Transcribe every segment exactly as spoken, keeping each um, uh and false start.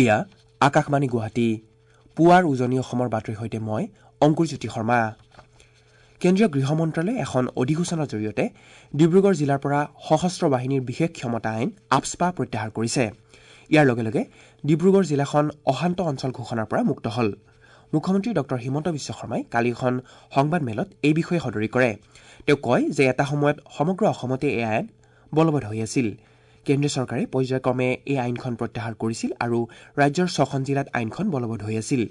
এয়া আকাশবাণী গুৱাহাটী। পুৱাৰ উজনি অসমৰ বাতৰিৰ সৈতে মই অংকুৰজ্যোতি শৰ্মা। কেন্দ্ৰীয় গৃহ মন্ত্ৰালয়ে এখন অধিসূচনাৰ জৰিয়তে ডিব্ৰুগড় জিলাৰ পৰা সশস্ত্ৰ বাহিনীৰ বিশেষ ক্ষমতা আইন আফস্পা প্ৰত্যাহাৰ কৰিছে। ইয়াৰ লগে লগে ডিব্ৰুগড় জিলাখন অশান্ত অঞ্চল ঘোষণাৰ পৰা মুক্ত হ'ল। মুখ্যমন্ত্ৰী ডক্টৰ হিমন্ত বিশ্ব শৰ্মাই কালি এখন সংবাদমেলত এই বিষয়ে সদৰি কৰে। তেওঁ কয় যে এটা সময়ত সমগ্ৰ অসমতে এই আইন বলবৎ হৈ আছিল। কেন্দ্ৰীয় চৰকাৰে পৰ্যায়ক্ৰমে এই আইনখন প্ৰত্যাহাৰ কৰিছিল আৰু ৰাজ্যৰ ছখন জিলাত আইনখন বলবৎ হৈ আছিল।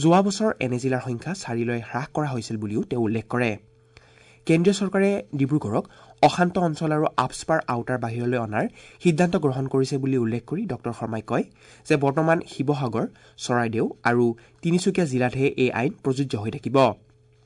যোৱা বছৰ এনে জিলাৰ সংখ্যা চাৰিলৈ হ্ৰাস কৰা হৈছিল বুলিও তেওঁ উল্লেখ কৰে। কেন্দ্ৰীয় চৰকাৰে ডিব্ৰুগড়ক অশান্ত অঞ্চল আৰু আফস্পাৰ আওতাৰ বাহিৰলৈ অনাৰ সিদ্ধান্ত গ্ৰহণ কৰিছে বুলি উল্লেখ কৰি ডক্টৰ শৰ্মাই কয় যে বৰ্তমান শিৱসাগৰ, চৰাইদেউ আৰু তিনিচুকীয়া জিলাতহে এই আইন প্ৰযোজ্য হৈ থাকিব।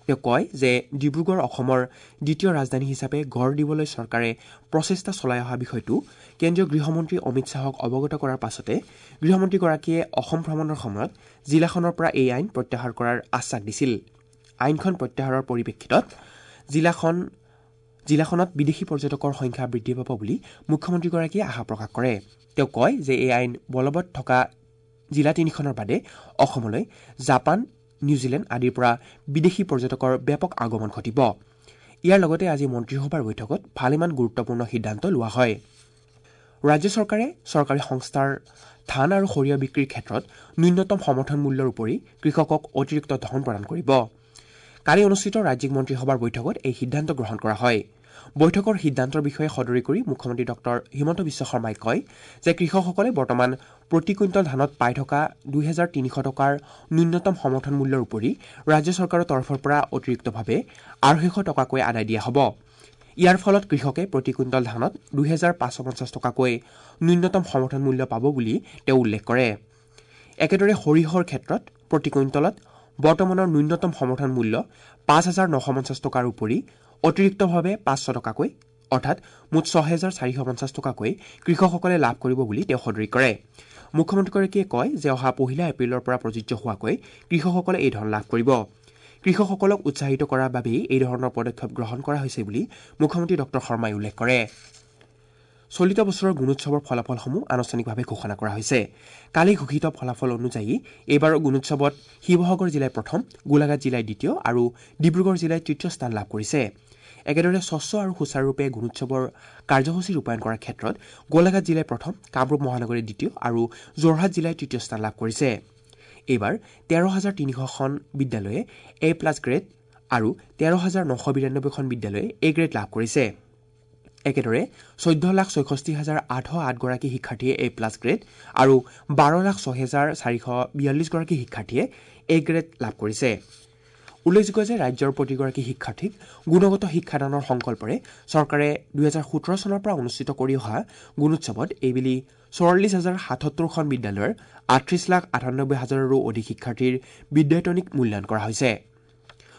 তেওঁ কয় যে ডিব্ৰুগড় অসমৰ দ্বিতীয় ৰাজধানী হিচাপে গঢ় দিবলৈ চৰকাৰে প্ৰচেষ্টা চলাই অহা বিষয়টো কেন্দ্ৰীয় গৃহমন্ত্ৰী অমিত শ্বাহক অৱগত কৰাৰ পাছতে গৃহমন্ত্ৰীগৰাকীয়ে অসম ভ্ৰমণৰ সময়ত জিলাখনৰ পৰা এই আইন প্ৰত্যাহাৰ কৰাৰ আশ্বাস দিছিল। আইনখন প্ৰত্যাহাৰৰ পৰিপ্ৰেক্ষিতত জিলাখন জিলাখনত বিদেশী পৰ্যটকৰ সংখ্যা বৃদ্ধি পাব বুলি মুখ্যমন্ত্ৰীগৰাকীয়ে আশা প্ৰকাশ কৰে। তেওঁ কয় যে এই আইন বলবৎ থকা জিলা তিনিখনৰ বাদে অসমলৈ জাপান, নিউজিলেণ্ড আদিৰ পৰা বিদেশী পৰ্যটকৰ ব্যাপক আগমন ঘটিব। ইয়াৰ লগতে আজি মন্ত্ৰীসভাৰ বৈঠকত ভালেমান গুৰুত্বপূৰ্ণ সিদ্ধান্ত লোৱা হয়। ৰাজ্য চৰকাৰে চৰকাৰী সংস্থাৰ ধান আৰু সৰিয়হ বিক্ৰীৰ ক্ষেত্ৰত ন্যূনতম সমৰ্থন মূল্যৰ উপৰি কৃষকক অতিৰিক্ত ধন প্ৰদান কৰিব। কালি অনুষ্ঠিত ৰাজ্যিক মন্ত্ৰীসভাৰ বৈঠকত এই সিদ্ধান্ত গ্ৰহণ কৰা হয়। বৈঠকৰ সিদ্ধান্তৰ বিষয়ে সদৰি কৰি মুখ্যমন্ত্ৰী ডক্টৰ হিমন্ত বিশ্ব শৰ্মাই কয় যে কৃষকসকলে বৰ্তমান প্ৰতি কুইণ্টল ধানত পাই থকা দুহেজাৰ তিনিশ টকাৰ ন্যূনতম সমৰ্থন মূল্যৰ উপৰি ৰাজ্য চৰকাৰৰ তৰফৰ পৰা অতিৰিক্তভাৱে আঢ়ৈশ টকাকৈ আদায় দিয়া হ'ব। ইয়াৰ ফলত কৃষকে প্ৰতি কুইণ্টল ধানত দুহেজাৰ পাঁচশ পঞ্চাছ টকাকৈ ন্যূনতম সমৰ্থন মূল্য পাব বুলি তেওঁ উল্লেখ কৰে। একেদৰে সৰিয়হৰ ক্ষেত্ৰত প্ৰতি কুইণ্টলত বৰ্তমানৰ ন্যূনতম সমৰ্থন মূল্য পাঁচ হাজাৰ নশ পঞ্চাছ টকাৰ উপৰি অতিৰিক্তভাৱে পাঁচশ টকাকৈ অৰ্থাৎ মুঠ ছহেজাৰ চাৰিশ পঞ্চাছ টকাকৈ কৃষকসকলে লাভ কৰিব বুলি তেওঁ সদৰি কৰে। মুখ্যমন্ত্ৰীগৰাকীয়ে কয় যে অহা পহিলা এপ্ৰিলৰ পৰা প্ৰযোজ্য হোৱাকৈ কৃষকসকলে এই ধন লাভ কৰিব। কৃষকসকলক উৎসাহিত কৰাৰ বাবেই এই ধৰণৰ পদক্ষেপ গ্ৰহণ কৰা হৈছে বুলি মুখ্যমন্ত্ৰী ডক্টৰ শৰ্মাই উল্লেখ কৰে। চলিত বছৰৰ গুণোৎসৱৰ ফলাফলসমূহ আনুষ্ঠানিকভাৱে ঘোষণা কৰা হৈছে। কালি ঘোষিত ফলাফল অনুযায়ী এইবাৰৰ গুণোৎসৱত শিৱসাগৰ জিলাই প্ৰথম, গোলাঘাট জিলাই দ্বিতীয় আৰু ডিব্ৰুগড় জিলাই তৃতীয় স্থান লাভ কৰিছে। একেদৰে স্বচ্ছ আৰু সুচাৰুৰূপে গুণোৎসৱৰ কাৰ্যসূচী ৰূপায়ণ কৰাৰ ক্ষেত্ৰত গোলাঘাট জিলাই প্ৰথম, কামৰূপ মহানগৰে দ্বিতীয় আৰু যোৰহাট জিলাই তৃতীয় স্থান লাভ কৰিছে। এইবাৰ তেৰ হাজাৰ তিনিশখন বিদ্যালয়ে এ প্লাছ গ্ৰেড আৰু তেৰ হাজাৰ নশ বিৰান্নব্বৈখন বিদ্যালয়ে এ গ্ৰেড লাভ কৰিছে। একেদৰে চৈধ্য লাখ ছয়ষষ্ঠি হাজাৰ আঠশ আঠগৰাকী শিক্ষাৰ্থীয়ে এ প্লাছ গ্ৰেড আৰু বাৰ লাখ ছহেজাৰ চাৰিশ বিয়াল্লিছগৰাকী শিক্ষাৰ্থীয়ে এ গ্ৰেড লাভ কৰিছে। উল্লেখযোগ্য যে ৰাজ্যৰ প্ৰতিগৰাকী শিক্ষাৰ্থীক গুণগত শিক্ষাদানৰ সংকল্পৰে চৰকাৰে দুহেজাৰ সোতৰ চনৰ পৰা অনুষ্ঠিত কৰি অহা গুণোৎসৱত এইবেলি চৌৰাল্লিছ হাজাৰ সাতসত্তৰখন বিদ্যালয়ৰ আঠত্ৰিছ লাখ আঠানব্বৈ হাজাৰৰো অধিক শিক্ষাৰ্থীৰ বিদ্যায়তনিক মূল্যায়ন কৰা হৈছে।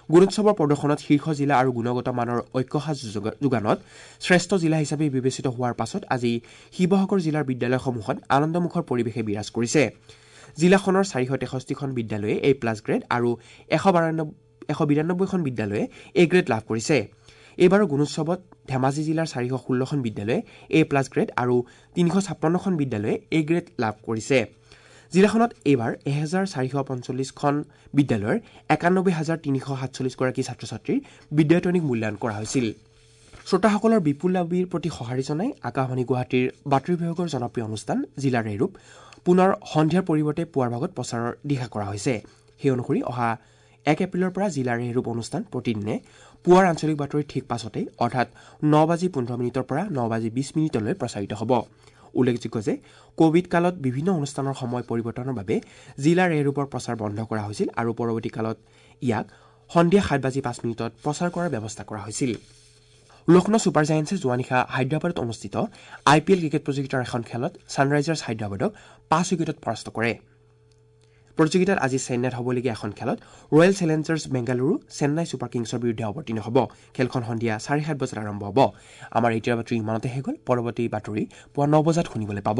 গুণোৎসৱৰ প্ৰদৰ্শনত শীৰ্ষ জিলা আৰু গুণগত মানৰ ঐক্যসাজ যোগানত শ্ৰেষ্ঠ জিলা হিচাপে বিবেচিত হোৱাৰ পাছত আজি শিৱসাগৰ জিলাৰ বিদ্যালয়সমূহত আনন্দমুখৰ পৰিৱেশে বিৰাজ কৰিছে। জিলাখনৰ চাৰিশ তেষষ্ঠিখন বিদ্যালয়ে এ প্লাছ গ্ৰেড আৰু এশ বাৰান্নব্বৈ এশ বিৰান্নব্বৈখন বিদ্যালয়ে এ গ্ৰেড লাভ কৰিছে। এইবাৰৰ গুণোৎসৱত ধেমাজি জিলাৰ চাৰিশ ষোল্লখন বিদ্যালয়ে এ প্লাছ গ্ৰেড আৰু তিনিশ ছাপন্নখন বিদ্যালয়ে এ গ্ৰেড লাভ কৰিছে। জিলাখনত এইবাৰ এহেজাৰ চাৰিশ পঞ্চল্লিছখন বিদ্যালয়ৰ একানব্বৈ হাজাৰ তিনিশ সাতচল্লিছগৰাকী ছাত্ৰ ছাত্ৰীৰ বিদ্যায়তনিক মূল্যায়ন কৰা হৈছিল। শ্ৰোতাসকলৰ বিপুল দাবীৰ প্ৰতি সঁহাৰি জনাই আকাশবাণী গুৱাহাটীৰ বাতৰি বিভাগৰ জনপ্ৰিয় অনুষ্ঠান জিলাৰ এৰূপ পুনৰ সন্ধিয়াৰ পৰিৱৰ্তে পুৱাৰ ভাগত প্ৰচাৰৰ দিহা কৰা হৈছে। সেই অনুসৰি অহা এক এপ্ৰিলৰ পৰা জিলাৰ এৰূপ অনুষ্ঠান প্ৰতিদিনে পুৱাৰ আঞ্চলিক বাতৰিৰ ঠিক পাছতেই অৰ্থাৎ ন বাজি পোন্ধৰ মিনিটৰ পৰা ন বাজি বিছ মিনিটলৈ প্ৰচাৰিত হ'ব। উল্লেখযোগ্য যে কোভিড কালত বিভিন্ন অনুষ্ঠানৰ সময় পৰিৱৰ্তনৰ বাবে জিলাৰ এৰূপৰ প্ৰচাৰ বন্ধ কৰা হৈছিল আৰু পৰৱৰ্তী কালত ইয়াক সন্ধিয়া সাত বাজি পাঁচ মিনিটত প্ৰচাৰ কৰাৰ ব্যৱস্থা কৰা হৈছিল। লক্ষ্ণৌ ছুপাৰ জায়েণ্টছে যোৱা নিশা হায়দৰাবাদত অনুষ্ঠিত আই পি এল ক্ৰিকেট প্ৰতিযোগিতাৰ এখন খেলত ছানৰাইজাৰ্ছ হায়দৰাবাদক পাঁচ উইকেটত পৰাস্ত কৰে। প্ৰতিযোগিতাত আজি চেন্নাইত হ'বলগীয়া এখন খেলত Royal Challengers Bengaluru Chennai Super কিংছৰ বিৰুদ্ধে অৱতীৰ্ণ হ'ব। খেলখন সন্ধিয়া চাৰে সাত বজাত আৰম্ভ হ'ব। আমাৰ এতিয়াৰ বাতৰি ইমানতে শেষ হ'ল। পৰৱৰ্তী বাতৰি পুৱা ন বজাত শুনিবলৈ পাব।